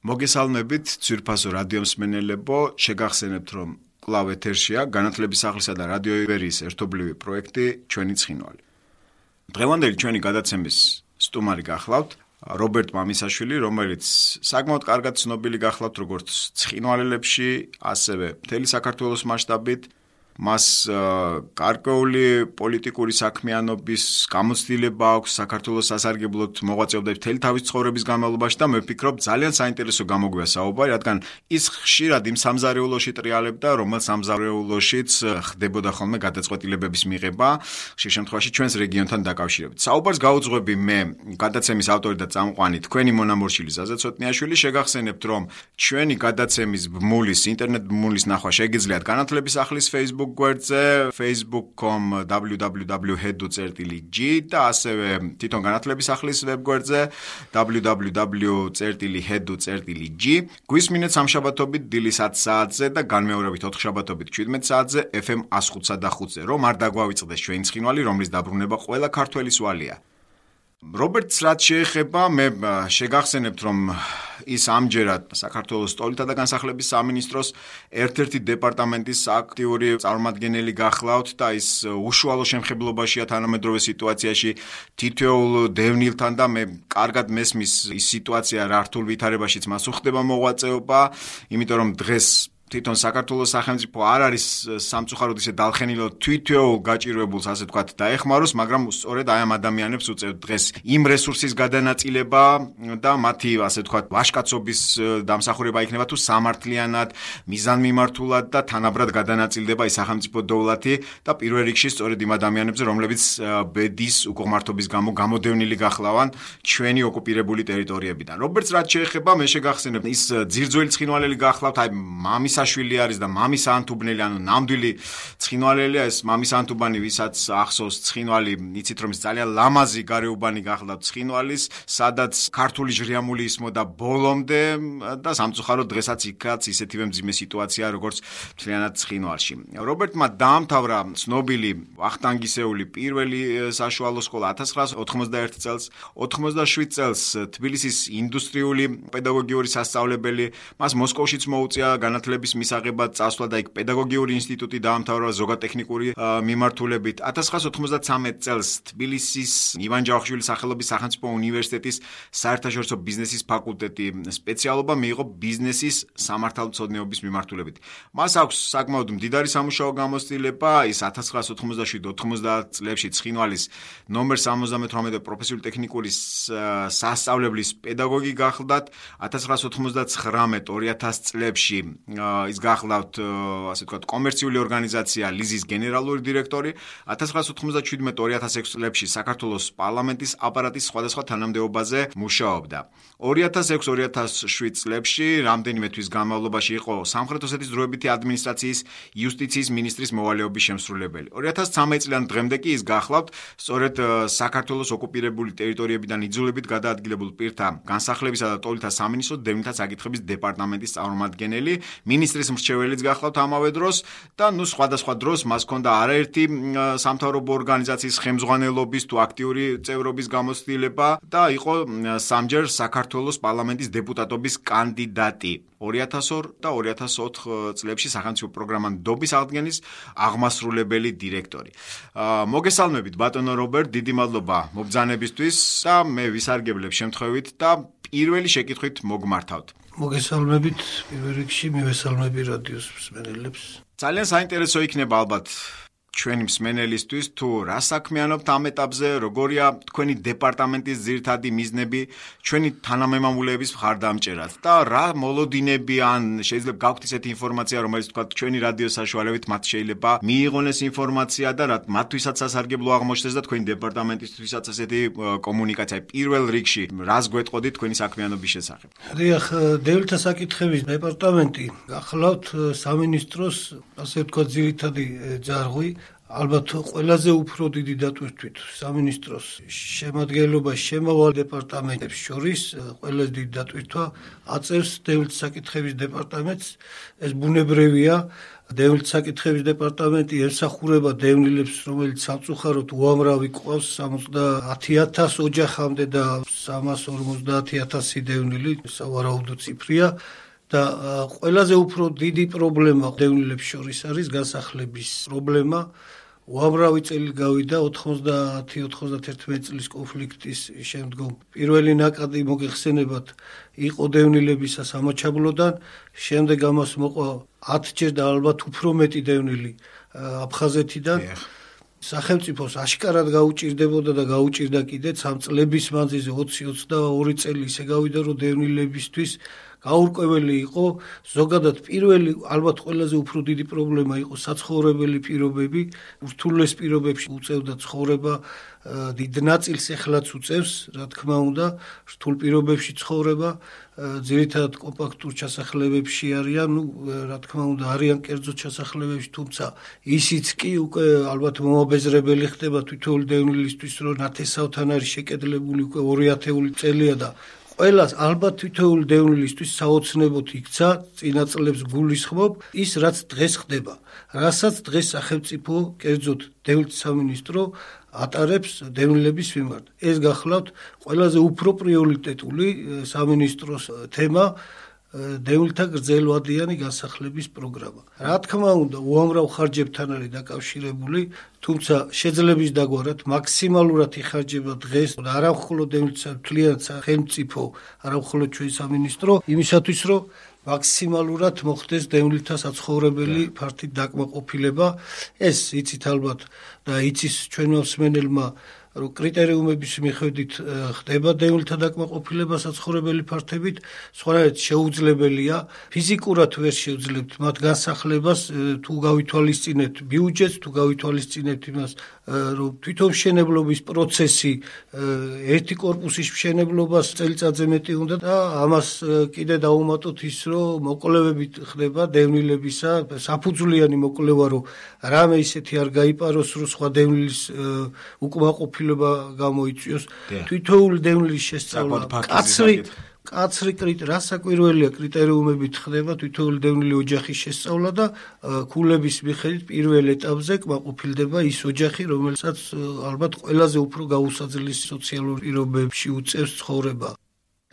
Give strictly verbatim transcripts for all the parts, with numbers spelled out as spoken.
მოგესალმებით ძვირფასო რადიო მსმენელებო, შეგახსენებთ რომ კვლავ ეთერშია განათლების სახლისა და რადიო ივერიის ერთობლივი პროექტი ჩვენი ცხინვალი. დღევანდელი ჩვენი გადაცემის სტუმარი გახლავთ რობერტ მამისაშვილი, რომელიც საკმაოდ კარგად ცნობილი გახლავთ როგორც ცხინვალელებში, ასევე მთელი საქართველოს მასშტაბით. მას გარკვეული პოლიტიკური საქმიანობის გამოცდილება აქვს საქართველოს სასარგებლოდ მოღვაწეობდა მთელი თავის ცხოვრების განმავლობაში და მე ვფიქრობ ძალიან საინტერესო გამოგვია საუბარი, რადგან ის ხშირად იმ სამზარეულოში ტრიალებდა, რომელ სამზარეულოშიც ხდებოდა ხოლმე გადაწყვეტილებების მიღება, ხშირ შემთხვევაში ჩვენს რეგიონთან დაკავშირებით. საუბარს გაუძღვები მე, გადაცემის ავტორი და წამყვანი თქვენი მონამორჩილი ზაზა ცოტნიაშვილი, შეგახსენებთ, რომ ჩვენი გადაცემის ბმულის, ინტერნეტ ბმულის ნახვა შეგიძლიათ განათლების სახლის Facebook გვერდზე facebook dot com w w w dot hedu dot g და ასევე თვითონ განათლების სახლის ვებგვერდზე w w w dot hedu dot g. გვისმინეთ სამშაბათობით დილის ათი საათზე და განმეორებით ოთხ შაბათობით შვიდმეტ საათზე F M one oh five ზე, რომ არ დაგვავიწყდეს ჩვენი ცხინვალი, რომლის დაბრუნება ყველა ქართველის ვალია. რობერტს რაც შეეხება, მე შეგახსენებთ, რომ ის ამჯერად საქართველოს სტოლითა და განსახლების სამინისტროს ერთ-ერთი დეპარტამენტის აქტიური წარმომადგენელი გახლავთ და ის უშუალო შემხებლობაშია თანამედროვე სიტუაციაში თითოეულ დევნილთან და მე კარგად მესმის ის სიტუაცია რა რთულ ვითარებაშიც მას უხდება მოღვაწეობა, იმიტომ რომ დღეს თვითონ საქართველოს სახელმწიფო არ არის სამწუხაროდ ისე დალხენილო თვითეულ გაჭირვებულს ასე ვთქვათ დაეხმაროს, მაგრამ სწორედ აი ამ ადამიანებს უწევთ დღეს იმ რესურსის გადანაწილება და მათი ასე ვთქვათ ვაჟკაცობის დამსახურება იქნება თუ სამართლიანად, მიზანმიმართულად და თანაბრად გადანაწილდება ის სახელმწიფო დოვლათი და პირველ რიგში სწორედ იმ ადამიანებზე, რომლებიც ბედის უკუღმართობის გამო გამოდევნილი გახლავან ჩვენი ოკუპირებული ტერიტორიებიდან. რობერტს რაც შეეხება, მე შეგახსენებ, ის ძირძველი ცხინვალელი გახლავთ, აი მამის შვილი არის და მამის ანთუბნელი, ანუ ნამდვილი ცხინვალელია. ეს მამის ანთუბანი, ვისაც ახსოვს ცხინვალი, იცით რომ ის ძალიან ლამაზი გარეუბანი გახლავთ ცხინვალის, სადაც ქართული ჟრიამული ისმოდა ბოლომდე და სამწუხაროდ დღესაც იქაც ისეთივე მძიმე სიტუაცია, როგორც მთლიანად ცხინვალში. რობერტმა დაამთავრა ცნობილი ვახტანგისეული პირველი საშუალო სკოლა ათას ცხრაასი ოთხმოცდაერთი წელს, ოთხმოცდაშვიდ წელს თბილისის ინდუსტრიული პედაგოგიური სასწავლებელი, მას მოსკოვშიც მოუწია განათლების მისაღებად წასვლა და იქ პედაგოგიური ინსტიტუტი დაამთავრა ზოგადტექნიკური მიმართულებით. ათას ცხრაასი ოთხმოცდათვრამეტ წელს თბილისის ივან ჯავახიშვილის სახელობის სახელმწიფო უნივერსიტეტის საერთაშორისო ბიზნესის ფაკულტეტი სპეციალობა მიიღო ბიზნესის სამართალმცოდნეობის მიმართულებით. მას აქვს საკმაოდ მდიდარი სამუშაო გამოცდილება, ის ათას ცხრაასი ოცდაშვიდ ოთხმოცდაათ წლებში ცხინვალის ნომერ სამოცდამეთვრამეტე პროფესიული ტექნიკური სასწავლებლის პედაგოგი გახლდათ, ათას ცხრაასი ოცდაცხრამეტ ორი ათასი წლებში ის გახლავთ ასე ვთქვათ კომერციული ორგანიზაცია ლიზის გენერალური დირექტორი, ათას ცხრაასი ოთხმოცდაჩვიდმეტ ორი ათას ექვსი წლებში საქართველოს პარლამენტის აპარატის სხვადასხვა თანამდებობაზე მუშაობდა. ორი ათას ექვსი ორი ათას შვიდ წლებში რამდენიმე თვის განმავლობაში იყო სამხრეთ ოსეთის დროებითი ადმინისტრაციის იუსტიციის მინისტრის მოვალეობის შემსრულებელი. ორი ათას ცხრამეტ წლიდან დღემდე კი ის გახლავთ სწორედ საქართველოს ოკუპირებული ტერიტორიებიდან იძულებით გადაადგილებულ პირთა განსახლებისა და ტოლთა სამინისტროს დევნილთა საკითხების დეპარტამენტის წარმომადგენელი, მინისტრის მრჩეველიც გახლავთ ამავე დროს და ნუ სხვადასხვა დროს მას ჰქონდა არაერთი სამთავრობო ორგანიზაციის ხელმძღვანელობის თუ აქტიური წევრობის გამოცდილება და იყო სამჯერ საქართველოს პარლამენტის დეპუტატობის კანდიდატი. ორი ათას ორი და ორი ათას ოთხ წლებში სახელმწიფო პროგრამა ნდობის აღდგენის აღმასრულებელი დირექტორი. მოგესალმებით ბატონო რობერტ, დიდი მადლობა მობრძანებისთვის და მე ვისარგებლებ შემთხვევით და პირველი შეკითხვით მოგმართავთ. მოგესალმებით, პირველ რიგში მივესალმები რადიოს მსმენელებს. ძალიან საინტერესო იქნება ალბათ ჩვენი მსმენელისთვის თუ რა საქმიანობთ ამ ეტაპზე, როგორია თქვენი დეპარტამენტის ძირითადი მიზნები ჩვენი თანამემამულეების მხარდამჭერად და რა მოლოდინები ან შეიძლება გაქვთ ისეთი ინფორმაცია, რომელიც თქვა ჩვენი რადიოს საშუალებით მათ შეიძლება მიიღონ ეს ინფორმაცია და რა მათთვისაც სასარგებლო აღმოჩნდეს და თქვენი დეპარტამენტისთვისაც ესეთი კომუნიკაცია პირველ რიგში რას გვეტყოდით თქვენი საქმიანობის შესახებ. დიახ, დევნილთა საკითხების დეპარტამენტი გახლავთ სამინისტროს ასე ვთქვათ ძირითადი ძარღვი, ალბათ ყველაზე უფრო დიდი დატვირთვით სამინისტროს შემადგენლობაში შემავალ დეპარტამენტებს შორის ყველაზე დიდი დატვირთვა აწევს დევნილთა საკითხების დეპარტამენტს. ეს ბუნებრივია. დევნილთა საკითხების დეპარტამენტი ემსახურება დევნილებს, რომელიც სამწუხაროდ უამრავი ყავს სამოცდაათი ათასი ოჯახამდე და სამას ორმოცდაათი ათასი დევნილი, სავარაუდო ციფრია. და ყველაზე უფრო დიდი პრობლემა დევნილებს შორის არის განსახლების პრობლემა. უამრავი წელი გავიდა ოთხმოცდაათი ოცდაათი წლის კონფლიქტის შემდგომ. პირველი ნაკადი მოგეხსენებათ იყო დევნილებისა სამაჩაბლოდან, შემდეგ ამას მოყვა ათჯერ და ალბათ უფრო მეტი დევნილი აფხაზეთიდან. სახელმწიფოს აშკარად გაუჭირდებოდა და გაუჭირდა კიდეც ამ წლების მანძილზე ოცი ოცდაორი წელი ისე გავიდა, რომ დევნილებისთვის გაურკვეველი იყო ზოგადად პირველი ალბათ ყველაზე უფრო დიდი პრობლემა იყო საცხოვრებელი პირობები. ურთულეს პირობებში უწევდა ცხოვრება, დიდ ნაწილს ეხლაც უწევს, რა თქმა უნდა, რთულ პირობებში ცხოვრება, ძირითადად კომპაქტურ ჩასახლებებში არიან, ну, რა თქმა უნდა, არიან კერძო ჩასახლებებში, თუმცა ისიც კი უკვე ალბათ მომაბეზრებელი ხდება თითოეული დევნილისთვის, რომ ნათესავთან არის შეკედლებული უკვე ორი ათეული წელია და ყველას ალბათ თითოეული დევნილისთვის საოცნებოდ იქცა წინა წლებს გულისხმობ ის რაც დღეს ხდება, რასაც დღეს სახელმწიფო კერძოდ დევნილთა სამინისტრო ატარებს დევნილების მიმართ. ეს გახლავთ ყველაზე უფრო პრიორიტეტული სამინისტროს თემა დევნილთა გრძელვადიანი განსახლების პროგრამა. რა თქმა უნდა, უამრავ ხარჯებთან არის დაკავშირებული, თუმცა შეძლების დაგვარად მაქსიმალურად იხარჯება დღეს არა მხოლოდ დევნილთა მთლიან სახელმწიფო, არა მხოლოდ ჩვენი სამინისტრო, იმისათვის რომ მაქსიმალურად მოხდეს დევნილთა საცხოვრებელი ფართით დაკმაყოფილება. ეს იცით ალბათ და იცის ჩვენმა მსმენელმა, რომ კრიტერიუმების მიხედვით ხდება დევნილთა დაკმაყოფილება საცხოვრებელი ფართებით, სხვანაირად შეუძლებელია, ფიზიკურად ვერ შევძლებთ მათ განსახლებას, თუ გავითვალისწინებთ ბიუჯეტს, თუ გავითვალისწინებთ იმას, რომ თვითონ მშენებლობის პროცესი ერთი კორპუსის მშენებლობას წელიწადზე მეტი უნდა და ამას კიდე დავუმატოთ ის, რომ მოკვლევებით ხდება დევნილებისა, საფუძვლიანი მოკვლევა, რომ რამე ისეთი არ გაიპაროს, რომ სხვა დევნილის უკმაყოფილება გამოიწვიოს. თითოეული დევნილის შესწავლა კაცრი კაცრი კრიტერიუმი, რასაკვირველია კრიტერიუმებით ხდება თითოეული დევნილი ოჯახის შესწავლა და ქულების მიხედვით პირველ ეტაპზე კმაყოფილდება ის ოჯახი, რომელსაც ალბათ ყველაზე უფრო გაუსაძლეს სოციალურ პირობებში უწევს ცხოვრება.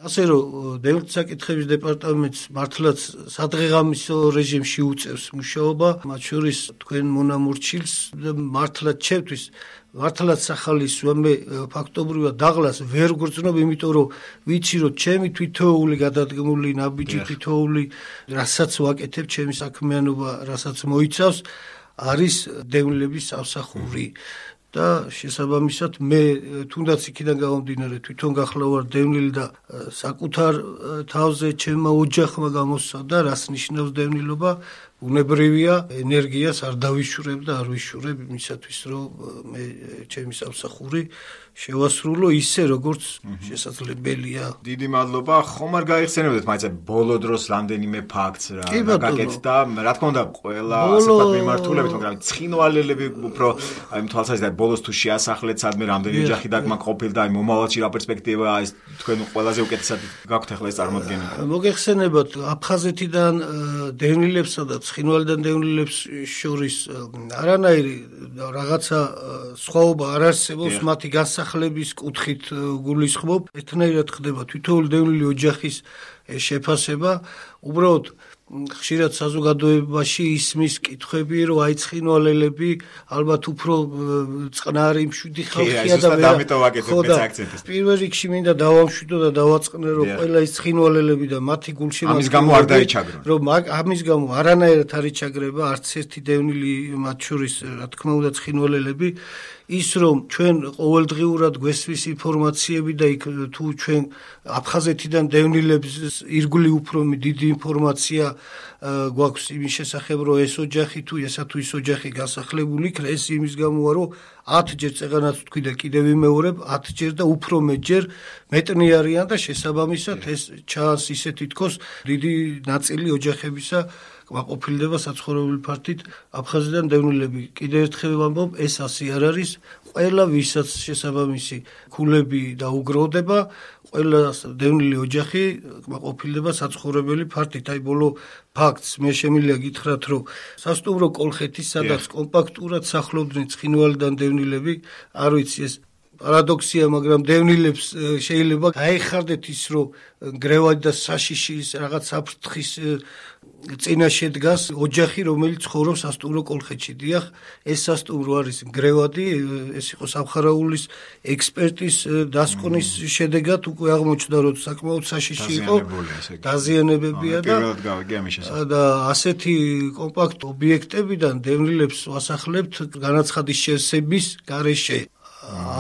ასე რომ დევნილთა საკითხების დეპარტამენტს მართლაც სადღეღამისო რეჟიმში უწევს მუშაობა, მათ შორის თქვენ მონამორჩილს და მართლაც ჩემთვის მართლაც სახალისოა, მე ფაქტობრივად დაღლას ვერ გრძნობ, იმიტომ რომ ვიცი რომ ჩემი თვითოეული გადადგმული ნაბიჯი, თვითოეული რასაც ვაკეთებ, ჩემი საქმიანობა რასაც მოიცავს, არის დევნილების სამსახური. და შესაბამისად მე თუნდაც იქიდან გამომდინარე თვითონ გახლავარ დევნილი და საკუთარ თავზე ჩემმა ოჯახმა გამოსცადა რას ნიშნავს დევნილობა, უნებრივია ენერგიას არ დავიშურებ და არ ვიშურებ იმისათვის რომ მე ჩემი სამსახური შევასრულო ისე როგორც შესაძლებელია. დიდი მადლობა. ხომ არ გაიხსენებოდეთ მაინც ბოლო დროს რამდენიმე ფაქტს რა გაკეთდა, რა თქმა უნდა ყველა ასეთ მიმართულებით, მაგრამ ცხინვალელები უფრო აი თვალსაზრისით ბოლოს თუ შეასახლეთ სადმე რამდენი ოჯახი დაკმაყოფილდა, აი მომავალში რა პერსპექტივაა, ეს თქვენ ყველაზე უკეთესად გაქვთ ახლა ეს წარმოდგენა. მოგეხსენებათ აფხაზეთიდან დევნილებსა და ცხინვალიდან დევნილებს შორის არანაირი რაღაცა სხვაობა არ არსებობს მათი განსახლების კუთხით გულისხმობ, ერთნაირად ხდება თითოეული დევნილი ოჯახის შეფასება, უბრალოდ ხშირად საზოგადოებაში ისმის კითხვები, რომ აი ცხინვალელები ალბათ უფრო წყნარი მშვიდი ხალხია და პირველ რიგში მინდა დავამშვიდო და დავაწყნე, რომ ყველა ის ცხინვალელები და მათი გულშემატკივრები ამის გამო არ დაიჩაგრონ. რომ ამის გამო არანაირად არ იჩაგრება არც ერთი დევნილი მათ შორის, რა თქმა უნდა ცხინვალელები, ის რომ ჩვენ ყოველდღიურად გვესმის ინფორმაციები და იქ თუ ჩვენ აფხაზეთიდან დევნილებს ირგვლივ უფრო დიდი ინფორმაცია გვაქვს იმის შესახებ, რომ ეს ოჯახი თუ ესა თუ ის ოჯახი გასახლებული იქნა, ეს იმის გამოა, რომ ათჯერ წეღანაც თქვი და კიდევ ვიმეორებ, ათჯერ და უფრო მეტჯერ მეტნი არიან და შესაბამისად ეს ჩანს ისეთი თქოს დიდი ნაწილი ოჯახებისა ყოფილდება საცხოვრებელი ფართით აფხაზიდან დევნილები. კიდევ ერთხელ ვამბობ, ეს ასე არ არის. ყველა ვისაც შესაბამისი ქულები დაუგროვდება, ყველა დევნილი ოჯახი ყოფილდება საცხოვრებელი ფართით. აი ბოლო ფაქტს მე შემიძლია გითხრათ, რომ სასტუმრო კოლხეთის, სადაც კომპაქტურად სახლობდნენ ცხინვალიდან დევნილები, არ ვიცი ეს პარადოქსია, მაგრამ დევნილებს შეიძლება გაეხარდეთ ის, რომ გრევადი და საშიშის რაღაც საფრთხის წინაშე დგას ოჯახი, რომელიც ცხოვრობს სასტუმრო კოლხეთში. დიახ, ეს სასტუმრო არის გრევადი, ეს იყო სამხარაულის ექსპერტის დასკვნის შედეგად უკვე აღმოჩნდა, რომ საკმაოდ საშიში იყო, დაზიანებებია და და ასეთი კომპაქტ ობიექტებიდან დევნილებს ვასახლებთ განაცხადის შევსების გარეშე.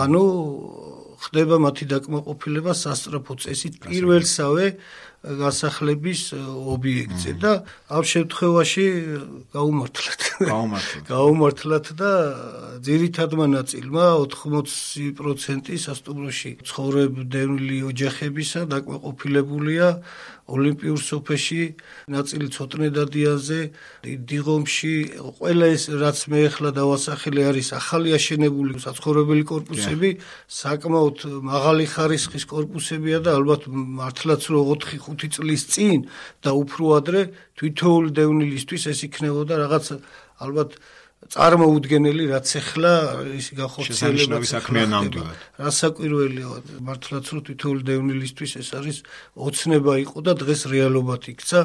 ანუ ხდება მათი დაკმაყოფილება სასწრაფო წესით პირველსავე გასახლების ობიექტზე და ამ შემთხვევაში გაუმართლეთ. გაუმართლეთ. გაუმართლეთ და ძირითადმა ნაწილმა ოთხმოცი პროცენტი სასტუმროში ცხოვრებდეული ოჯახებისა დაკმაყოფილებულია ოლიმპიურ სოფელში, ნაწილი ცოტნე დადიანზე, დიღომში, ყველა ეს რაც მე ახლა დავასახელე არის ახალი აშენებული საცხოვრებელი კორპუსები, საკმაოდ მაღალი ხარისხის კორპუსებია და ალბათ მართლაც რომ ოთხი ხუთი წლის წინ და უფრო ადრე თითოეული დევნილისთვის ეს იქნებოდა რაღაც ალბათ წარმოუდგენელი, რაც ახლა ისი გახორციელება საქმეა ნამდვილად. რასაკვირველია, მართლაც რომ თითოეული დევნილისთვის ეს არის ოცნება იყო და დღეს რეალობად იქცა.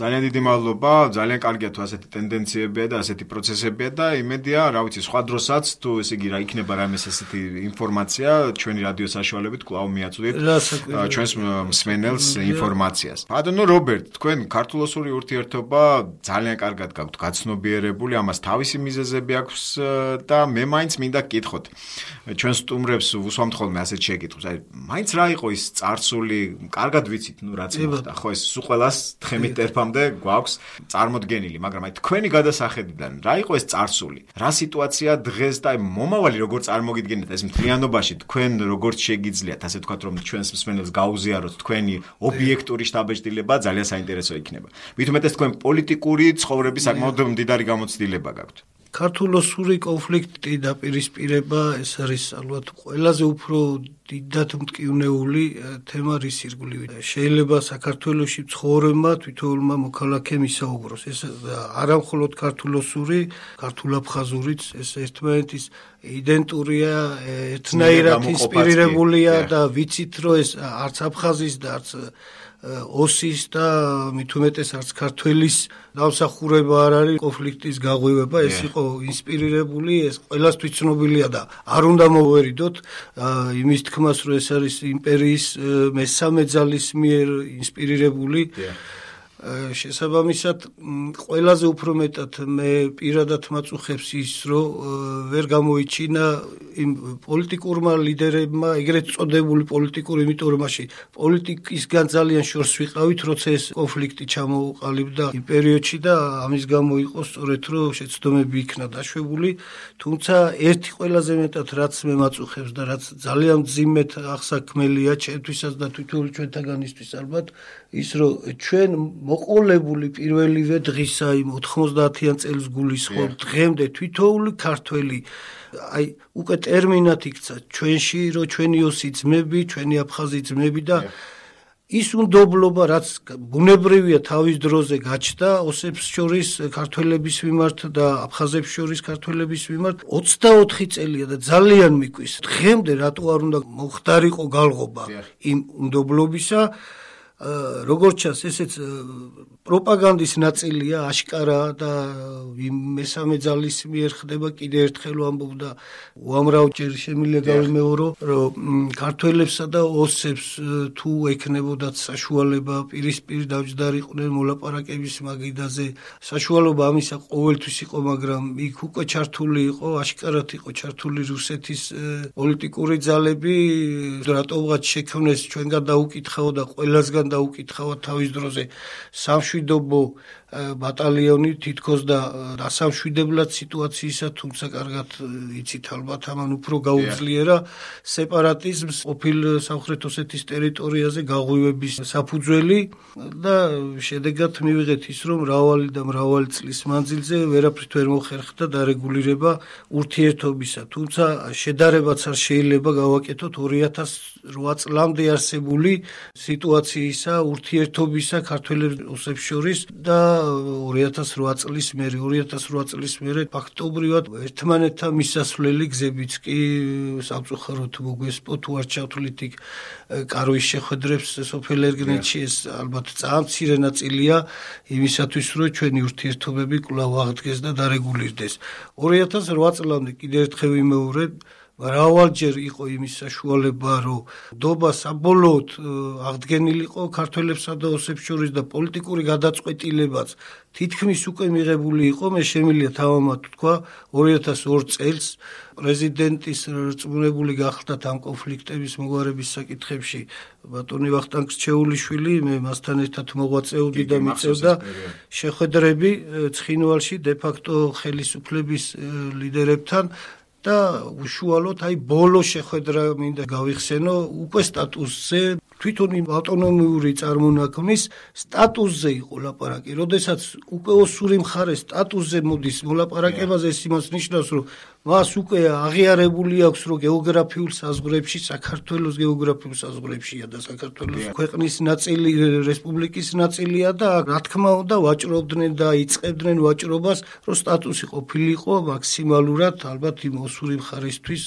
ძალიან დიდი მადლობა, ძალიან კარგია თუ ასეთი ტენდენციებია და ასეთი პროცესებია და იმედია, რა ვიცი, სხვა დროსაც თუ ესე იგი რა იქნება რამეს ასეთი ინფორმაცია, ჩვენი რადიო საშუალებით კვლავ მიაწვდით ჩვენს მსმენელს ინფორმაციას. ბატონო რობერტ, თქვენ ქართულ-ოსური ურთიერთობა ძალიან კარგად გაქვთ გაცნობიერებული, ამას თავისი მიზეზი აქვს და მე მაინც მინდა გკითხოთ. ჩვენ სტუმრებს ვუსვამთ ხოლმე ასეთ შეკითხვას. აი, მაინც რა იყო ის წარსული, კარგად ვიცით, ნუ რაც მოხდა, ხო, ეს სულ ყველას თხემით ტერფამდე გვაქვს წარმოდგენილი, მაგრამ აი თქვენი გადასახედიდან რა იყო ეს წარსული? რა სიტუაცია დღეს და აი მომავალი როგორ წარმოგიდგენთ ეს მთლიანობაში თქვენ როგორც შეგიძლიათ, ასე ვთქვათ, რომ ჩვენს მსმენელს გაუზიაროთ თქვენი ობიექტური შთაბეჭდილება ძალიან საინტერესო იქნება. მით უმეტეს თქვენ პოლიტიკური ცხოვრების საკმაოდ მდიდარი გამოცდილება გაქვთ. ქართულ-ოსური კონფლიქტი დაპირისპირება ეს არის ალბათ ყველაზე უფრო დიდად მტკივნეული თემა რის ირგვლივ. შეიძლება საქართველოში ცხოვრებმა თითოეულმა მოქალაქემ ისაუბროს. ეს არა მხოლოდ ქართულ-ოსური, ქართულ-აფხაზურიც ეს ერთმანეთის იდენტურია, ერთნაირად ინსპირირებულია და ვიცით რომ ეს არც აფხაზის და არც ოსის და მით უმეტეს არც ქართველის დამსახურება არ არის კონფლიქტის გაღვივება, ეს იყო ინსპირირებული, ეს ყველასთვის ცნობილია და არ უნდა მოვერიდოთ იმის თქმას, რომ ეს არის იმპერიის მესამე ძალის მიერ ინსპირირებული. შესაბამისად, ყველაზე უფრო მეტად მე პირადად მაწუხებს ის, რომ ვერ გამოიჩინა იმ პოლიტიკურმა ლიდერებმა, ეგრეთ წოდებული პოლიტიკური, იმიტომ რომ მაშინ პოლიტიკისგან ძალიან შორს ვიყავით, როცა ეს კონფლიქტი ჩამოუყალიბდა იმ პერიოდში და ამის გამო იყო სწორედ რომ შეცდომები იქნა დაშვებული, თუმცა ერთი ყველაზე მეტად რაც მე მაწუხებს და რაც ძალიან მძიმედ აღსაქმელია ჩემთვისაც და თითოეულ ჩვენთაგანისთვის ალბათ, ის რომ ჩვენ მოყოლებული პირველივე დღისა იმ ოთხმოცდაათიან წელს გულისხმობ დღემდე თითოეული ქართველი აი უკვე ტერმინად იქცა ჩვენში რომ ჩვენი ოსი ძმები, ჩვენი აფხაზი ძმები და ის უნდობლობა რაც ბუნებრივია თავის დროზე გაჩნდა ოსებს შორის ქართველების მიმართ და აფხაზებს შორის ქართველების მიმართ ოცდაოთხი წელია და ძალიან მიკვის დღემდე რატო არ უნდა მოხდარიყო გალღობა იმ უნდობლობისა როგორც ჩანს ესეც პროპაგანდის ნაწილია აშკარა და მესამე ძალის მიერ ხდება კიდე ერთხელ ვამბობ და უამრავჯერ შემიძლია გავიმეორო რომ ქართველებსა და ოსებს თუ ექნებოდათ საშუალება პირისპირ დავჯდარიყვნენ მოლაპარაკების მაგიდაზე საშუალობა ამისა ყოველთვის იყო მაგრამ იქ უკვე ჩართული იყო აშკარად იყო ჩართული რუსეთის პოლიტიკური ძალები რატომღაც შექმნეს ჩვენგან დაუკითხაო და ყველასგან დაუკითხავად თავის დროზე სამშვიდობო ბატალიონი თითქოს და დასამშვიდებლად სიტუაციისა, თუმცა კარგად იცით ალბათ ამან უფრო გაუძლიერა სეპარატიზმს ყოფილ სამხრეთ ოსეთის ტერიტორიაზე გაღვივების საფუძველი და შედეგად მივიღეთ ის, რომ მრავალი და მრავალი წლის მანძილზე ვერაფრით ვერ მოხერხდა დარეგულირება ურთიერთობისა. თუმცა შედარებაც არ შეიძლება გავაკეთოთ ორი ათას რვა წლამდე არსებული სიტუაციისა, ურთიერთობისა ქართველებს ოსებს შორის და ორი ათას რვა წლის მერე, ორი ათას რვა წლის მერე ფაქტობრივად ერთმანეთთან მისასვლელი გზებიც კი სამწუხაროდ მოგვესპო, თუ არ ჩავთვლით იქ კარვის შეხვედრებს სოფელ ერგნეთში, ეს ალბათ ძალიან მცირე ნაწილია იმისათვის, რომ ჩვენი ურთიერთობები კვლავ აღდგეს და დარეგულირდეს. ორი ათას რვა წლამდე კიდევ ერთხელ ვიმეორებ, მრავალჯერ იყო იმის საშუალება, რომ ნდობა საბოლოოდ აღდგენილიყო ქართველებსა და ოსებს შორის და პოლიტიკური გადაწყვეტილებაც თითქმის უკვე მიღებული იყო. მე შემიძლია თავამად თქვა, ორი ათას ორ წელს პრეზიდენტის რწმუნებული გახლდათ ამ კონფლიქტების მოგვარების საკითხებში ბატონი ვახტანგ რჩეულიშვილი, მე მასთან ერთად მოღვაწეობდი და მიწევდა შეხვედრები ცხინვალში დე-ფაქტო ხელისუფლების ლიდერებთან და უშუალოდ აი ბოლო შეხვედრა მინდა გავიხსენო უკვე სტატუსზე, თვითონ იმ ავტონომიური წარმონაქმნის სტატუსზე იყო ლაპარაკი. როდესაც უკვე ოსური მხარე სტატუსზე მოდის მოლაპარაკებაზე, ეს იმას ნიშნავს, რომ მას უკვე აღიარებული აქვს, რომ გეოგრაფიულ საზღვრებში, საქართველოს გეოგრაფიულ საზღვრებშია და საქართველოს ქვეყნის ნაწილი, რესპუბლიკის ნაწილია და რა თქმა უნდა ვაჭრობდნენ და იწყებდნენ ვაჭრობას, რომ სტატუსი ყოფილიყო მაქსიმალურად ალბათ იმ ოსური მხარისთვის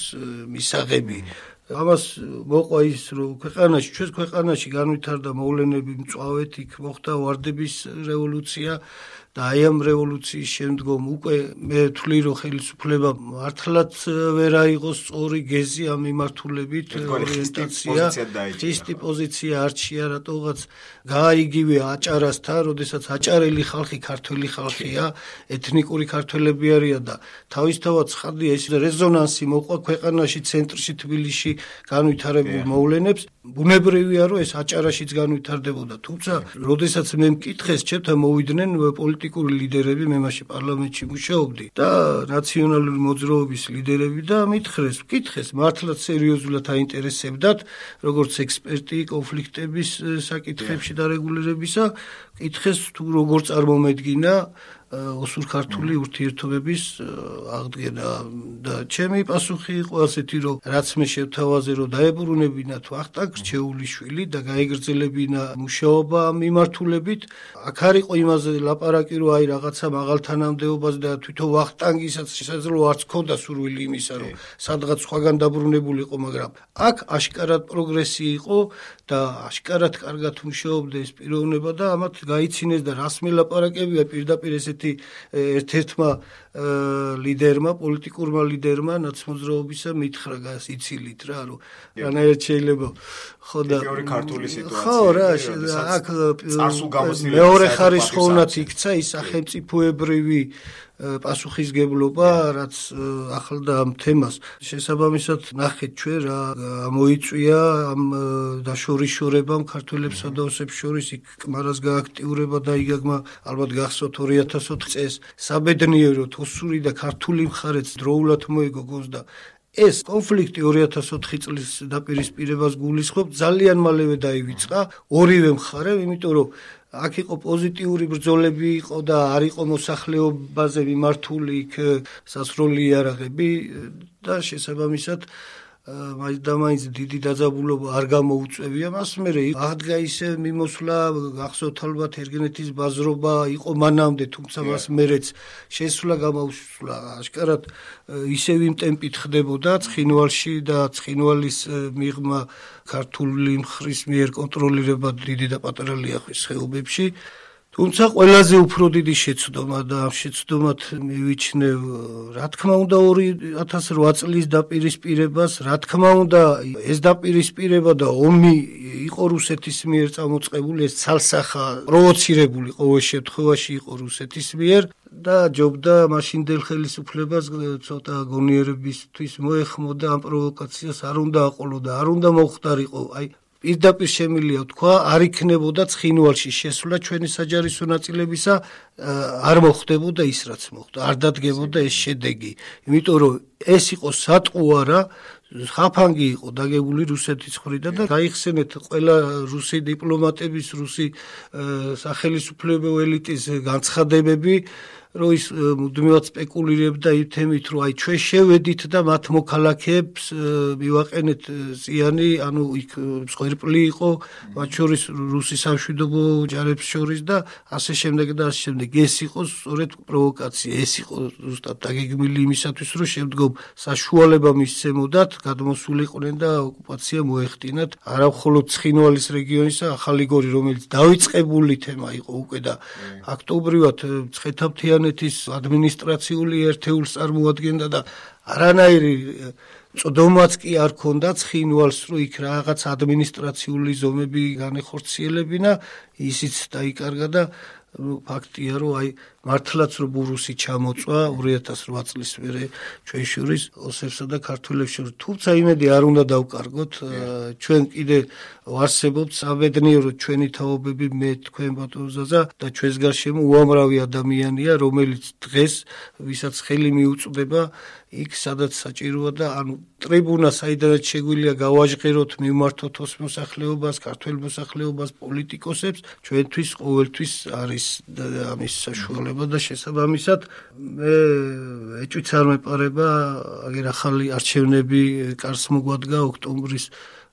მისაღები. ამას მოყვა ის, რომ ქვეყანაში, ჩვენს ქვეყანაში განვითარდა მოვლენები მწვავედ, იქ მოხდა ვარდების რევოლუცია და აი ამ რევოლუციის შემდგომ უკვე მე ვთვლი, რომ ხელისუფლება მართლაც ვერ აიღო სწორი გეზი ამ მიმართულებით, ორიენტაცია, ხისტი პოზიცია არჩია რატოღაც გააიგივე აჭარასთან, როდესაც აჭარელი ხალხი ქართველი ხალხია, ეთნიკური ქართველები არიან და თავისთავად ცხადია ეს რეზონანსი მოყვა ქვეყანაში, ცენტრში, თბილისში განვითარებულ მოვლენებს. ბუნებრივია, რომ ეს აჭარაშიც განვითარდებოდა, თუმცა როდესაც მე მკითხეს, ჩემთან მოვიდნენ პოლიტიკური ლიდერები, მე მაშინ პარლამენტში მუშაობდი და ნაციონალური მოძრაობის ლიდერები და მითხრეს, მკითხეს, მართლაც სერიოზულად აინტერესებდათ, როგორც ექსპერტი კონფლიქტების საკითხებში დარეგულირებისა, მკითხეს თუ როგორ წარმომედგინა ოსურ-ქართული ურთიერთობების აღდგენა და ჩემი პასუხი იყო ასეთი, რომ რაც მე შევთავაზე, რომ დაებრუნებინათ ვახტანგ რჩეულიშვილი და გაეგრძელებინა მუშაობა ამ მიმართულებით. აქ არ იყო იმაზე ლაპარაკი, რომ აი რაღაცა მაღალთანამდებობაზე და თვითონ ვახტანგისაც შესაძლოა არც ქონდა სურვილი იმისა, რომ სადღაც სხვაგან დაბრუნებულიყო, მაგრამ აქ აშკარად პროგრესი იყო და აშკარად კარგად მუშაობდა ეს პიროვნება და ამათ გაიცინეს და რას მელაპარაკებია პირდაპირ ესეთი ერთ-ერთმა ლიდერმა, პოლიტიკურმა ლიდერმა ნაცმოძრაობისა მითხრა გასიცილით რა, რომ რანაირად შეიძლება ხო და მეორე ქართული სიტუაცია. ხო რა, აქ მეორე ხარისხოვნად იქცა ის სახელმწიფოებრივი პასუხისგებლობა, რაც ახლდა ამ თემას. შესაბამისად ნახეთ ჩვენ რა მოიწვია ამ დაშორიშორებამ ქართველებსა და ოსებს შორის იქ კმარას გააქტიურება და იგაგმა ალბათ გახსოვთ ორი ათას ოთხ წელს საბედნიეროდ ოსური და ქართული მხარეც დროულად მოიგო გონს და ეს კონფლიქტი ორი ათას ოთხი წლის დაპირისპირებას გულისხმობ, ძალიან მალევე დაივიწყა ორივე მხარემ, იმიტომ რომ აქ იყო პოზიტიური ბრძოლები იყო და არ იყო მოსახლეობაზე მიმართული იქ სასროლი იარაღები და შესაბამისად მაინც და მაინც დიდი დაძაბულობა არ გამოუწევია მას. მე აღდგა ისე მიმოსვლა, გახსოვთ ალბათ ერგენეთის ბაზრობა იყო მანამდე, თუმცა მას მერეც შესვლა გამოუსვლა აშკარად ისევ იმ ტემპით ხდებოდა ცხინვალში და ცხინვალის მიღმა ქართული მხრის მიერ კონტროლირება დიდი და პატარა ლიახვის ხეობებში. თუმცა ყველაზე უფრო დიდი შეცდომა და ამ შეცდომად მივიჩნევ, რა თქმა უნდა ორი ათას რვა წლის დაპირისპირებას, რა თქმა უნდა ეს დაპირისპირება და ომი იყო რუსეთის მიერ წამოწყებული, ეს ცალსახა პროვოცირებული ყოველ შემთხვევაში იყო რუსეთის მიერ და ჯობდა მაშინდელ ხელისუფლებას ცოტა გონიერებისთვის მოეხმოდა ამ პროვოკაციას არ უნდა აყოლოდა, არ უნდა მოხდარიყო. აი პირდაპირ შემილია თქვა, არ იქნებოდა ცხინვალში შესვლა ჩვენი საჯარისო ნაწილებისა, არ მოხდებოდა ის რაც მოხდა, არ დადგებოდა ეს შედეგი, იმიტომ რომ ეს იყო სატყუ არა, ხაფანგი იყო დაგებული რუსეთის მხრიდან და გაიხსენეთ ყველა რუსი დიპლომატების, რუსი სახელმწიფო ელიტის განცხადებები, რომ ის მუდმივად სპეკულირებდა ითემით, რომ აი ჩვენ შევედით და მათ მოქალაქეებს მივაყენეთ ზიანი, ანუ იქ მსხვერპლი იყო, მათ შორის რუსი სამშვიდობო ჯარებს შორის და ასე შემდეგ და ასე შემდეგ. ეს იყო სწორედ პროვოკაცია, ეს იყო ზუსტად დაგეგმილი იმისათვის, რომ შემდგომ საშუალება მისცემოდათ, გადმოსულიყვნენ და ოკუპაცია მოეხდინათ არა მხოლოდ ცხინვალის რეგიონისა, ახალი გორი, რომელიც დავიწყებული თემა იყო უკვე და აქტობრივად მცხეთა-მთიანეთის ადმინისტრაციული ერთეულს წარმოადგენდა და არანაირი წოდომაც კი არ ქონდა ცხინვალს, რომ იქ რაღაც ადმინისტრაციული ზომები განეხორციელებინა, ისიც დაიკარგა და ფაქტია, რომ აი მართლაც რომ ბურუსი ჩამოწვა ორი ათას ოთხ წლის მერე ჩვენ შორის ოსებსა და ქართველებს შორის. თუმცა იმედი არ უნდა დავკარგოთ, ჩვენ კიდე ვარსებობთ საბედნიეროდ ჩვენი თაობები, მე თქვენ ბატონ ზაზა და ჩვენს გარშემო უამრავი ადამიანია, რომელიც დღეს ვისაც ხელი მიუწვდება იქ სადაც საჭიროა და ანუ ტრიბუნა საიდანაც შეგვიძლია გავაჟღეროთ, მივმართოთ ოს მოსახლეობას, ქართველ მოსახლეობას, პოლიტიკოსებს, ჩვენთვის ყოველთვის არის ამის საშუალება და შესაბამისად მე ეჭვიც არ მეპარება აგერ ახალი არჩევნები კარს მოგვადგა ოქტომბრის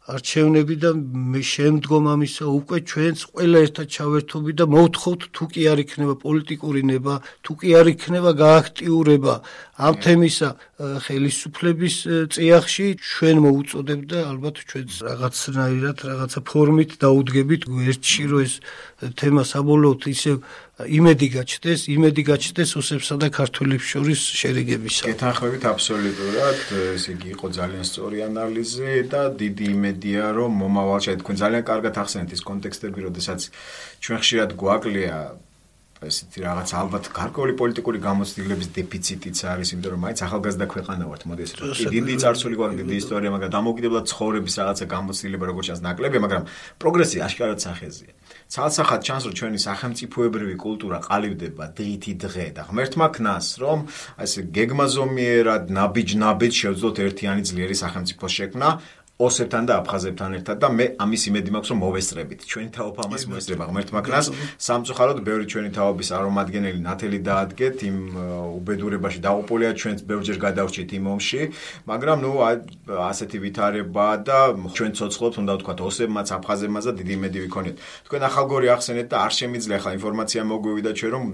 არჩევნები და მე შემდგომ ამისა უკვე ჩვენს ყველა ერთად ჩავერთობი და მოვთხოვთ თუ კი არ იქნება პოლიტიკური ნება, თუ კი არ იქნება გააქტიურება ამ თემისა ხელისუფლების წიაღში, ჩვენ მოუწოდებთ და ალბათ ჩვენც რაღაცნაირად რაღაცა ფორმით დაუდგებით ერთში, რომ ეს თემა საბოლოოდ ისევ იმედი გაჩნდეს, იმედი გაჩნდეს ოსებსა და ქართველებს შორის შერიგებისა. გეთანხმებით აბსოლუტურად, ესე იგი იყო ძალიან სწორი ანალიზი და დიდი იმედია, რომ მომავალში თქვენ ძალიან კარგად ახსენეთ ის კონტექსტები, როდესაც ჩვენ ხშირად გვაკლია ესეთი რაღაც ალბათ გარკვეული პოლიტიკური გამოცდილების დეფიციტიც არის, იმიტომ რომ მაინც ახალგაზრდა ქვეყანა ვართ, მოდი ესე რომ დიდი წარსული გვაქვს, დიდი ისტორია, მაგრამ დამოუკიდებლად ცხოვრების რაღაცა გამოცდილება როგორც ჩანს ნაკლებია, მაგრამ პროგრესი აშკარად სახეზია. ცალსახად ჩანს, რომ ჩვენი სახელმწიფოებრივი კულტურა ყალიბდება დღითი დღე და ღმერთმა ქნას, რომ ასე გეგმაზომიერად ნაბიჯ-ნაბიჯ შევძლოთ ერთიანი ძლიერი სახელმწიფოს შექმნა ოსებთან და აფხაზებთან ერთად და მე ამის იმედი მაქვს, რომ მოვესწრებით. ჩვენი თაობა ამას მოესწრება ღმერთმა ქნას. სამწუხაროდ ბევრი ჩვენი თაობის არომადგენელი ნათელი დაადგეთ იმ უბედურებაში დაუყოლია, ჩვენც ბევრჯერ გადავრჩით იმ ომში, მაგრამ ნუ ასეთი ვითარება და ჩვენ ცოცხლობთ, უნდა ვთქვათ, ოსებმაც, აფხაზებმაც და დიდი იმედი ვიქონიოთ. თქვენ ახალგორი ახსენეთ და არ შემიძლია ახლა ინფორმაცია მოგვივიდა ჩვენ, რომ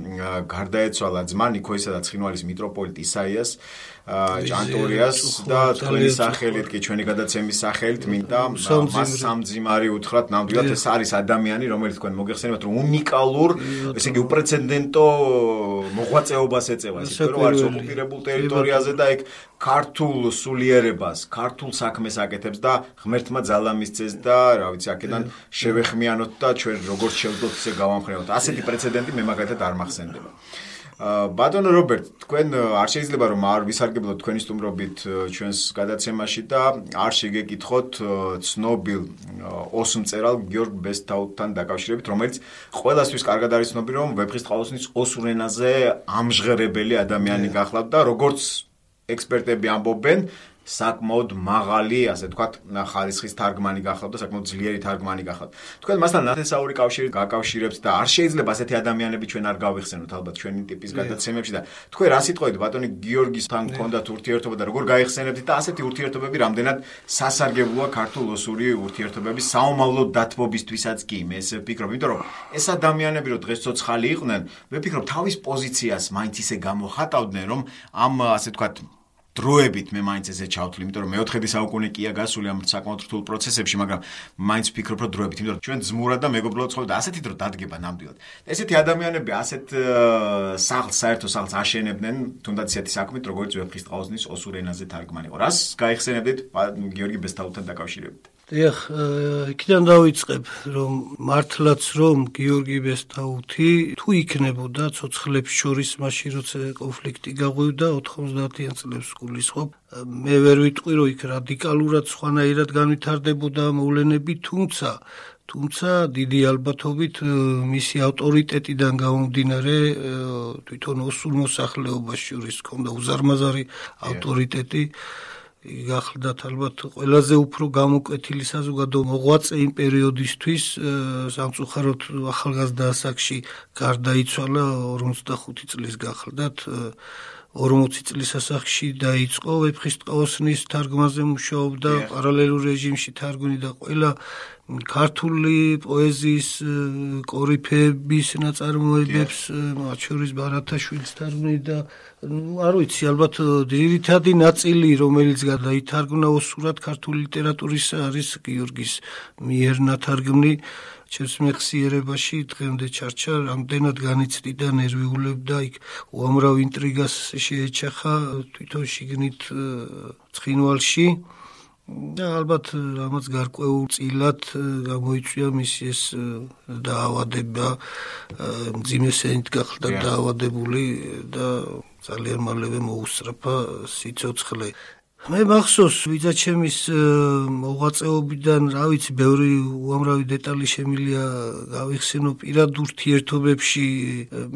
გარდაეცვალა ძმა ნიქოისა და ცხინვალის მიტროპოლიტ ისაიას ჭანტურიას და თქვენი სახელით კი ჩვენი გადაცემის სახელით მინდა მას სამძიმარი უთხრათ, ნამდვილად ეს არის ადამიანი, რომელიც თქვენ მოგეხსენებათ, რომ უნიკალურ, ესე იგი უპრეცედენტო მოღვაწეობას ეწევა, ისე რომ არის ოკუპირებულ ტერიტორიაზე და ეგ ქართულ სულიერებას, ქართულ საქმეს აკეთებს და ღმერთმა ძალა მისცეს და რა ვიცი, აქედან შევეხმიანოთ და ჩვენ როგორც შევძლოთ ისე გავამხნევოთ. ასეთი პრეცედენტი მე მაგალითად არ მახსენდება. ბატონო რობერტ, თქვენ არ შეიძლება რომ არ ვისარგებლოთ თქვენი სტუმრობით ჩვენს გადაცემაში და არ შეგეკითხოთ ცნობილ ოსმწერალ გიორგ ბესთაუთთან დაკავშირებით, რომელიც ყველასთვის კარგად არის ცნობილი, რომ ვეფხისტყაოსნის ოსურ ენაზე ამჟღერებელი ადამიანი გახლავთ და როგორც ექსპერტები ამბობენ, საკმაოდ მაღალი, ასე ვთქვათ, ხარისხის თარგმანი გახლავთ და საკმაოდ ძლიერი თარგმანი გახლავთ. თქვენ მასთან ნათესაური კავშირი გაკავშირებთ და არ შეიძლება ასეთი ადამიანები ჩვენ არ გავიხსენოთ ალბათ ჩვენი ტიპის გადაცემებში და თქვენ რა სიტყვით ბატონი გიორგისთან გქონდათ ურთიერთობა და როგორ გაიხსენებთ და ასეთი ურთიერთობები რამდენად სასარგებლოა ქართულ-ოსური ურთიერთობების საომავლო დათბობისთვისაც კი მე ესე ვფიქრობ, იმიტომ რომ ეს ადამიანები რო დღეს ცოცხალი იყვნენ, მე ვფიქრობ თავის პოზიციას მაინც ისე გამოხატავდნენ, რომ ამ ასე ვთქვათ დროებით მე მაინც ესე ჩავთვლი, იმიტომ რომ მეოთხედი საუკუნე კია გასული ამ საკმაოდ რთულ პროცესებში, მაგრამ მაინც ვფიქრობ, რომ დროებით, იმიტომ რომ ჩვენ ძმურად და მეგობრულად ცხოვრობთ და ასეთი დრო დადგება ნამდვილად. ესეთი ადამიანები ასეთ სახლს, საერთო სახლს აშენებდნენ, თუნდაც ისეთი საქმით, როგორც ვეფხისტყაოსნის ოსურ ენაზე თარგმანი იყო. რას გაიხსენებდით გიორგი ბესთაუთთან დაკავშირებით? დიახ, იქიდან დავიწყებ, რომ მართლაც რომ გიორგი ბესტაუთი თუ იქნებოდა ცოცხლებს შორის მაშინ როცა კონფლიქტი გაღვივდა ოთხმოცდაათიან წლებს გულისხმობ, მე ვერ ვიტყვი რომ იქ რადიკალურად სხვანაირად განვითარდებოდა მოვლენები, თუმცა თუმცა დიდი ალბათობით მისი ავტორიტეტიდან გამომდინარე თვითონ ოსურ მოსახლეობას შორის ჰქონდა უზარმაზარი ავტორიტეტი გახლდათ ალბათ ყველაზე უფრო გამოკვეთილი საზოგადო მოღვაწე იმ პერიოდისთვის სამწუხაროდ ახალგაზრდა ასაკში გარდაიცვალა ორმოცდახუთი წლის გახლდათ ორმოცი წლის ასაკში დაიწყო ვეფხისტყაოსნის თარგმანზე მუშაობდა პარალელურ რეჟიმში თარგმნიდა ყველა ქართული პოეზიის კორიფეების ნაწარმოებებს მათ შორის ბარათაშვილის თარგმნიდა არ ვიცი ალბათ ძირითადი ნაწილი რომელიც გადაითარგმნა ოსურად ქართული ლიტერატურისა არის გიორგის მიერ ნათარგმნი ჩემს მეხსიერებაში დღემდე ჩარჩა რამდენად განიცდიდა ნერვიულებდა იქ უამრავ ინტრიგას შეეჩახა თვითონ შიგნით ცხინვალში და ალბათ რამაც გარკვეულ წილად გამოიწვია მისი ეს დაავადება მძიმე სენით გახდა დაავადებული და ძალიან მალევე მოუსწრაფა სიცოცხლე მე მახსოვს ვიძაჩემის მოღვაწეობიდან რა ვიცი ბევრი უამრავი დეტალი შემილია გავიხსენო პირად ურთიერთობებში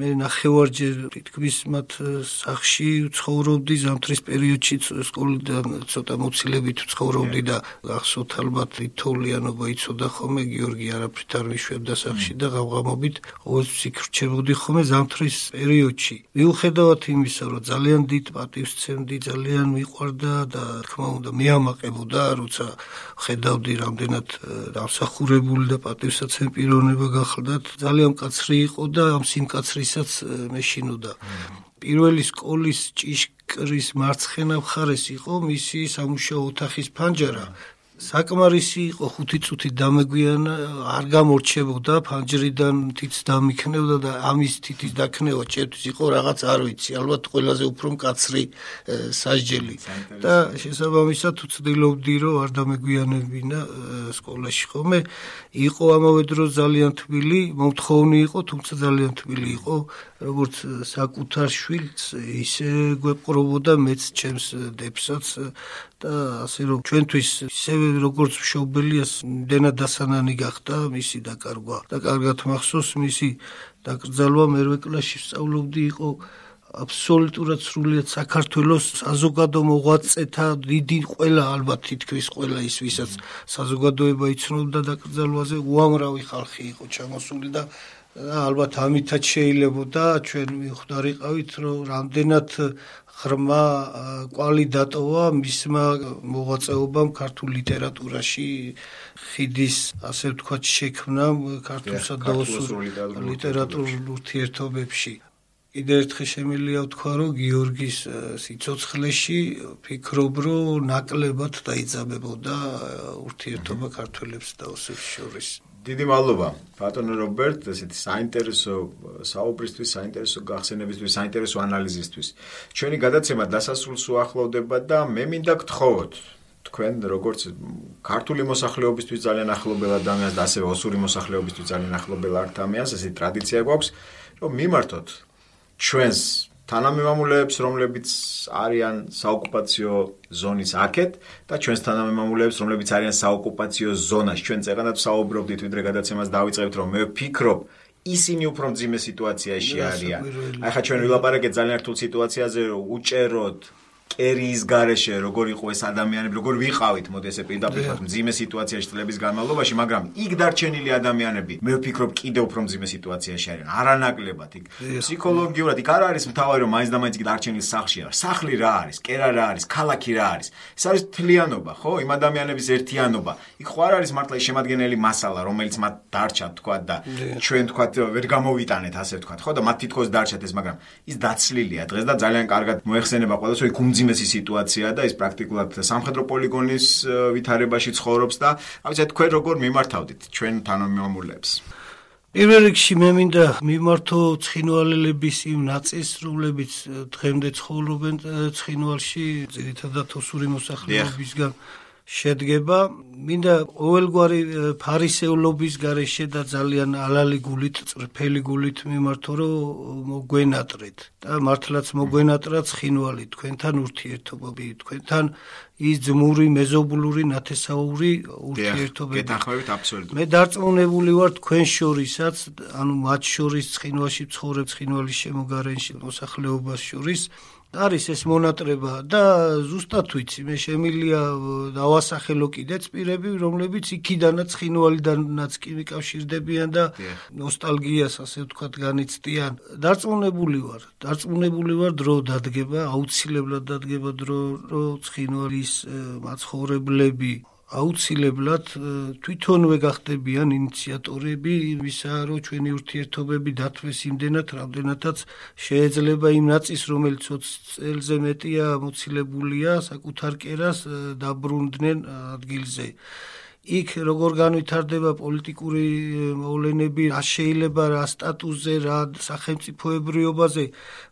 მე ნახევარჯერ თითქმის მათ სახლში ცხოვრობდი ზამთრის პერიოდში სკოლიდან ცოტა მოცილებით ცხოვრობდი და გახსოვთ ალბათ თოვლიანობა იცოდა ხოლმე გიორგი არაფრით არ მიშვებდა სახლში და ღამღამობით ყოველთვის იქ რჩებოდი ხოლმე ზამთრის პერიოდში მიუხედავად იმისა რომ ძალიან დიდ პატივს სცემდი ძალიან მიყვარდა და თქმა უნდა მეამაყებოდა როცა ხედავდი რამდენად დამსახურებული და პატივსაცემი პიროვნება გახლდათ ძალიან მკაცრი იყო და ამ სიმკაცრისაც მეშინოდა პირველი სკოლის ჭიშკრის მარცხენა მხარეს იყო მისი სამუშაო ოთახის ფანჯარა საკმარისი იყო ხუთი წუთი დამეგვიანა არ გამორჩებოდა ფანჯრიდან თიც დამიქნევდა და ამის თითის დაქნევა ჩემთვის იყო რაღაც არ ვიცი ალბათ ყველაზე უფრო მკაცრი სასჯელი და შესაბამისად ვცდილობდი რომ არ დამეგვიანებინა სკოლაში ხოლმე იყო ამავე დროს ძალიან თბილი მომთხოვნი იყო თუმცა ძალიან თბილი იყო როგორც საკუთარ შვილს ისე გვეპყრობოდა მეც ჩემს დებსაც და ასე რომ ჩვენთვის ისევე როგორც მშობელიას იმდენად დასანანი გახდა მისი დაკარგვა და კარგად მახსოვს მისი დაკრძალვა მერვე კლასში სწავლობდი იყო აბსოლუტურად სრულიად საქართველოს საზოგადო მოღვაწეთა დიდი ყველა ალბათ თითქმის ყველა ის ვისაც საზოგადოება იცნობდა დაკრძალვაზე უამრავი ხალხი იყო ჩამოსული და ალბათ ამითაც შეიძლებოდა ჩვენ მიხვდარიყავით რომ რამდენად ღრმა კვალი დატოვა მისმა მოღვაწეობამ ქართულ ლიტერატურაში ხიდის ასე ვთქვათ შექმნამ ქართულსა და ოსურ ლიტერატურულ ურთიერთობებში კიდევ ერთხელ შემიძლია ვთქვა რომ გიორგის სიცოცხლეში ფიქრობ რომ ნაკლებად დაიძაბებოდა ურთიერთობა ქართველებს და ოსებს შორის დიდი მადლობა ბატონო რობერტ ესეთი საინტერესო საუბრისთვის, საინტერესო გახსენებისთვის, საინტერესო ანალიზისთვის. ჩვენი გადაცემა დასასრულს უახლოვდება და მე მინდა გთხოვოთ თქვენ როგორც ქართული მოსახლეობისთვის ძალიან ახლობელ ადამიანს და ასევე ოსური მოსახლეობისთვის ძალიან ახლობელ ადამიანს ესეთი ტრადიცია გვაქვს რომ მიმართოთ ჩვენს თანამემამულეებს, რომლებიც არიან საოკუპაციო ზონის აქეთ და ჩვენს თანამემამულეებს, რომლებიც არიან საოკუპაციო ზონაში. ჩვენ წეღანად საუბრობდით, ვიდრე გადაცემას დავიწყებთ, რომ მე ვფიქრობ, ისინი უფრო მძიმე სიტუაციაში არიან. აი ხა ჩვენ ვილაპარაკეთ ძალიან რთულ სიტუაციაზე, რომ უჭეროთ კერიის გარეშე როგორ იყო ეს ადამიანები, როგორ ვიყავით, მოდი ესე პირდაპირ ვთქვათ, მძიმე სიტუაციაში წლების განმავლობაში, მაგრამ იქ დარჩენილი ადამიანები, მე ვფიქრობ, კიდევ უფრო მძიმე სიტუაციაში არიან. არანაკლებად იქ ფსიქოლოგიურად იქ არ არის მთავარი რომ მაინც და მაინც იქ დარჩენილი სახლში არის. სახლი რა არის, კერა რა არის, ქალაქი რა არის. ეს არის თლიანობა, ხო? იმ ადამიანების ერთიანობა. იქ ხო არ არის მართლა შემადგენელი მასალა, რომელიც მათ დარჩათ, თქვა და ჩვენ თქვა ვერ გამოვიტანეთ, ასე ვთქვათ, ხო? და მათ თითქოს დარჩათ ეს, მაგრამ ის დაცლილია დღეს და ძალიან კარგად მოეხსენება ყველას, რომ იქ უმძიმესი სიტუაცია და ის პრაქტიკულად სამხედრო პოლიგონის ვითარებაში ცხოვრობს და ავიცი თქვენ როგორ მიმართავდით ჩვენ თანამემამულეებს პირველ რიგში მე მინდა მიმართო ცხინვალელების იმ ნაწილს რომლებიც დღემდე ცხოვრობენ ცხინვალში ძირითადად ოსური მოსახლეობისგან შედგება მინდა ყოველგვარი ფარისეულობის გარეშე და ძალიან ალალი გულით, წრფელი გულით მიმართო, რომ მოგვენატრეთ და მართლაც მოგვენატრა ცხინვალი თქვენთან ურთიერთობები, თქვენთან ის ძმური, მეზობლური, ნათესაური ურთიერთობები. გეთანხმებით აბსოლუტურად. მე დარწმუნებული ვარ თქვენ შორისაც, ანუ მათ შორის ცხინვალში ცხოვრებ, ცხინვალის შემოგარენში მოსახლეობას შორის არის ეს მონატრება და ზუსტად ვიცი, მე შემილია დავასახელო კიდეც პირები, რომლებიც იქიდანაც ცხინვალიდანაც კი მიკავშირდებიან და ნოსტალგიას ასე ვთქვათ განიცდიან. დარწმუნებული ვარ, დარწმუნებული ვარ დრო დადგება, აუცილებლად დადგება დრო, რომ ცხინვალის მაცხოვრებლები აუცილებლად თვითონვე გახდებიან ინიციატორები იმისა, რომ ჩვენი ურთიერთობები დათვეს იმდენად, რამდენადაც შეიძლება იმ ნაწის, რომელიც ოცი წელზე მეტია მოცილებულია, საკუთარ კერას დაბრუნდნენ ადგილზე. იქ როგორ განვითარდება პოლიტიკური მოვლენები, რა შეიძლება რა სტატუსზე, რა სახელმწიფოებრიობაზე,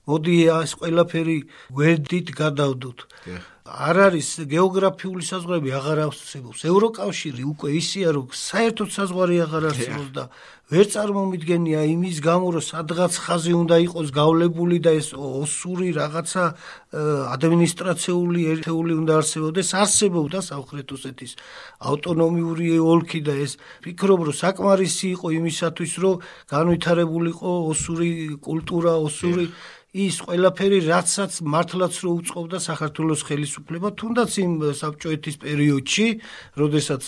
მოდი ეს ყველაფერი გვერდით გადავდოთ. არ არის გეოგრაფიული საზღვრები აღარ არსებობს. ევროკავშირი უკვე ისეა, რომ საერთოდ საზღვარი აღარ არსებობს და ვერ წარმომიდგენია იმის გამო, რომ სადღაც ხაზი უნდა იყოს გავლებული და ეს ოსური რაღაცა ადმინისტრაციული ერთეული უნდა არსებობდეს, არსებობდა სამხრეთ ოსეთის ავტონომიური ოლქი და ეს ფიქრობ, რომ საკმარისი იყო იმისათვის, რომ განვითარებულიყო ოსური კულტურა, ოსური ის ყველაფერი, რაცაც მართლაც რო უწყობდა საქართველოს ხელისუფლება, თუნდაც იმ საბჭოეთის პერიოდში, როდესაც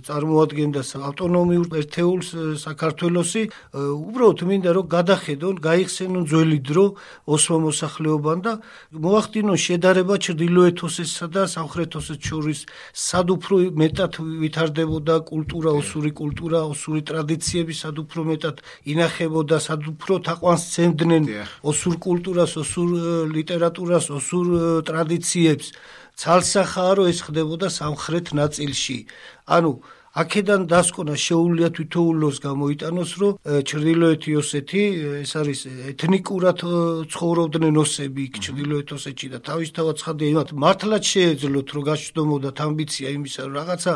წარმოადგენდა ავტონომიურ ერთეულს საქართველოსი, უბრალოდ მინდა რომ გადახედონ, გაიხსენონ ძველი დრო ოსმალ მოსახლეობამ და მოახდინონ შედარება ჩრდილოეთ ოსეთსა და სამხრეთ ოსეთს შორის, სად უფრო მეტად ვითარდებოდა კულტურა, ოსური კულტურა, ოსური ტრადიციები, სად უფრო მეტად ინახებოდა, სად უფრო თაყვანს სცემდნენ ოსურ კულტურას, ოსურ ლიტერატურას, ოსურ ტრადიციებს. ცალსახაა, რომ ეს ხდებოდა სამხრეთ ნაწილში. ანუ აქედან დასკვნა შეუძლია თითოეულს გამოიტანოს, რომ ჩრდილოეთი ოსეთი, ეს არის ეთნიკურად ცხოვრობდნენ ოსები იქ ჩრდილოეთ ოსეთში და თავისთავად ცხადია იმათ მართლაც შეეძლოთ, რომ გაშდომოდათ ამბიცია იმისა, რომ რაღაცა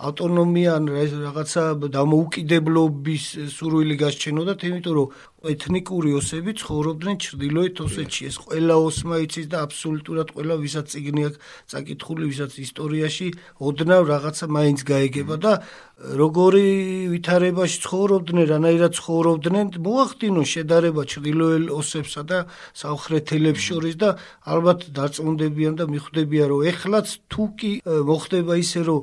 ავტონომია ან რაღაცა დამოუკიდებლობის სურვილი გასჩენოდათ, იმიტომ რომ ეთნიკური ოსები ცხოვრობდნენ ჩრდილოეთ ოსეთში. ეს ყველა ოსმა იცის და აბსოლუტურად ყველა ვისაც წიგნი აქვს წაკითხული, ვისაც ისტორიაში ოდნავ რაღაცა მაინც გაეგება და როგორი ვითარებაში ცხოვრობდნენ, რანაირად ცხოვრობდნენ, მოახდინონ შედარება ჩრდილოელ ოსებსა და სამხრეთელებს შორის და ალბათ დარწმუნდებიან და მიხვდებიან, რომ ეხლაც თუ კი მოხდება ისე, რომ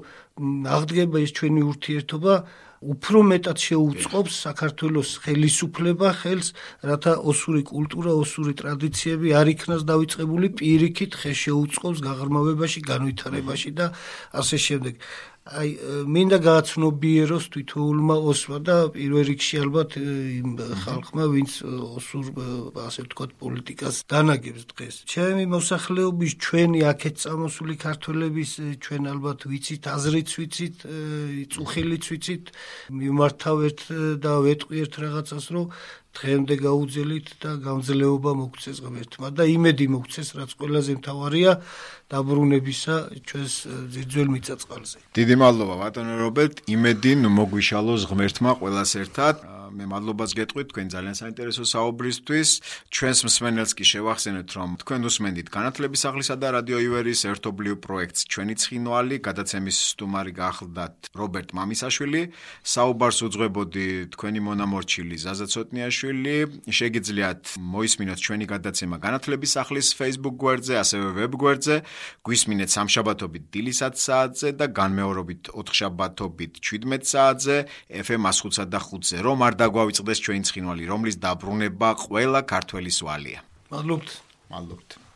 აღდგება ეს ჩვენი ურთიერთობა, უფრო მეტად შეუწყობს საქართველოს ხელისუფლება ხელს, რათა ოსური კულტურა, ოსური ტრადიციები არ იქნას დავიწყებული, პირიქით ხე შეუწყობს გაღრმავებაში, განვითარებაში და ასე შემდეგ. აი მინდა გააცნობიეროს თითოეულმა ოსმა და პირველ რიგში ალბათ იმ ხალხმა, ვინც ოსურ ასე ვთქვათ პოლიტიკას განაგებს დღეს. ჩემი მოსახლეობის ჩვენი აქეთ წამოსული ქართველების ჩვენ ალბათ ვიცით, აზრიც ვიცით, წუხილიც ვიცით, მიმართავეთ და ვეტყვიერთ რაღაცას, რომ დღემდე გაუძელით და გამძლეობა მოგცეს ღმერთმა და იმედი მოგცეს, რაც ყველაზე მთავარია დაბრუნებისა ჩვენს ძირძველ მიწა-წყალზე. დიდი მადლობა ბატონო რობერტ, იმედი მოგვიშალოს ღმერთმა ყველას ერთად. მე მადლობას გეტყვით თქვენ ძალიან საინტერესო საუბრისთვის. ჩვენს მსმენელს კი შევახსენებთ, რომ თქვენ უსმენდით განათლების სახლისა და რადიო ივერის ერთობლივ პროექტს ჩვენი ცხინვალი, გადაცემის სტუმარი გახლდათ რობერტ მამისაშვილი. საუბარს უძღვებოდი თქვენი მონამორჩილი ზაზა ცოტნიაშვილი. შეგიძლიათ მოისმინოთ ჩვენი გადაცემა განათლების სახლის Facebook გვერდზე, ასევე ვებ გვერდზე. გვისმინეთ სამშაბათობით დილის ათი საათზე და განმეორებით ოთხშაბათობით შვიდმეტ საათზე ეფ ემ one oh five და ხუთზე. რომ არ დაგვავიწყდეს ჩვენი ცხინვალი, რომლის დაბრუნება ყველა ქართველის ვალია. მადლობთ. მადლობთ.